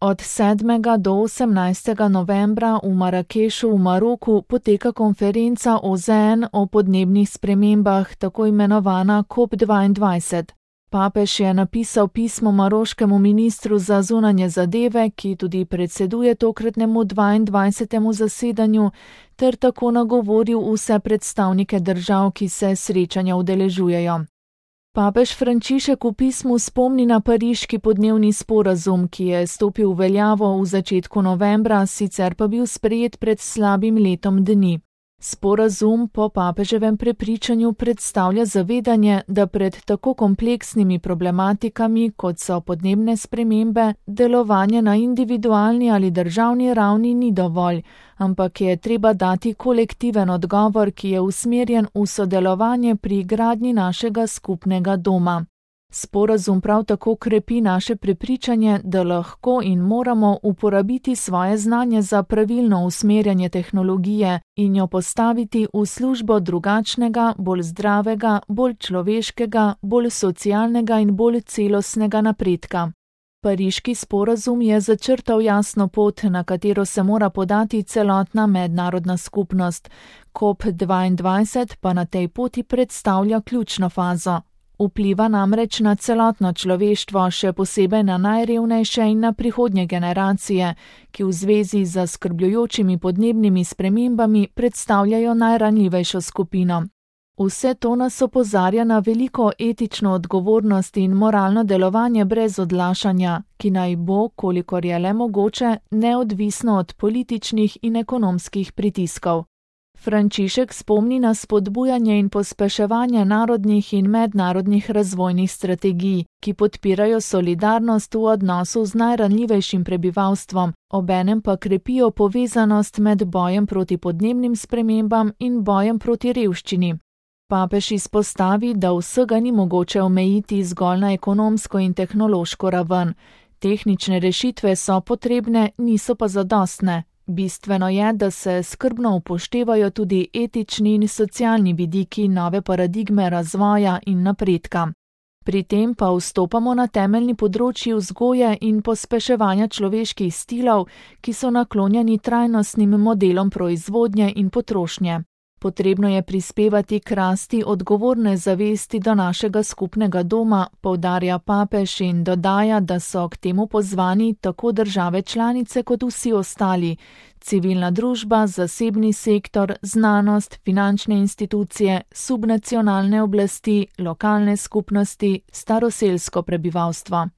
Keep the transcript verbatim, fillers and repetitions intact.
Od sedmega do osemnajstega novembra v Marakešu v Maroku poteka konferenca O Z N o podnebnih spremembah, tako imenovana COP dvaindvajset. Papež je napisal pismo maroškemu ministru za zunanje zadeve, ki tudi predseduje tokratnemu dvaindvajsetemu zasedanju, ter tako nagovoril vse predstavnike držav, ki se srečanja udeležujejo. Papež Frančišek v pismu spomni na pariški podnebni sporazum, ki je stopil v veljavo v začetku novembra, sicer pa bil sprejet pred slabim letom dni. Sporazum po papeževem prepričanju predstavlja zavedanje, da pred tako kompleksnimi problematikami, kot so podnebne spremembe, delovanje na individualni ali državni ravni ni dovolj, ampak je treba dati kolektiven odgovor, ki je usmerjen v sodelovanje pri gradnji našega skupnega doma. Sporazum prav tako krepi naše prepričanje, da lahko in moramo uporabiti svoje znanje za pravilno usmerjanje tehnologije in jo postaviti v službo drugačnega, bolj zdravega, bolj človeškega, bolj socialnega in bolj celostnega napredka. Pariški sporazum je začrtal jasno pot, na katero se mora podati celotna mednarodna skupnost. COP dvaindvajset pa na tej poti predstavlja ključno fazo. Vpliva namreč na celotno človeštvo, še posebej na najrevnejše in na prihodnje generacije, ki v zvezi z zaskrbljujočimi podnebnimi spremembami predstavljajo najranljivejšo skupino. Vse to nas opozarja na veliko etično odgovornost in moralno delovanje brez odlašanja, ki naj bo, kolikor je le mogoče, neodvisno od političnih in ekonomskih pritiskov. Frančišek spomni na spodbujanje in pospeševanje narodnih in mednarodnih razvojnih strategij, ki podpirajo solidarnost v odnosu z najranljivejšim prebivalstvom, obenem pa krepijo povezanost med bojem proti podnebnim spremembam in bojem proti revščini. Papež izpostavi, da vsega ni mogoče omejiti zgolj na ekonomsko in tehnološko raven. Tehnične rešitve so potrebne, niso pa zadostne. Bistveno je, da se skrbno upoštevajo tudi etični in socialni vidiki nove paradigme razvoja in napredka. Pri tem pa vstopamo na temeljni področji vzgoje in pospeševanja človeških stilov, ki so naklonjeni trajnostnim modelom proizvodnje in potrošnje. Potrebno je prispevati k rasti odgovorne zavesti do našega skupnega doma, poudarja papež in dodaja, da so k temu pozvani tako države članice kot vsi ostali, civilna družba, zasebni sektor, znanost, finančne institucije, subnacionalne oblasti, lokalne skupnosti, staroselsko prebivalstvo.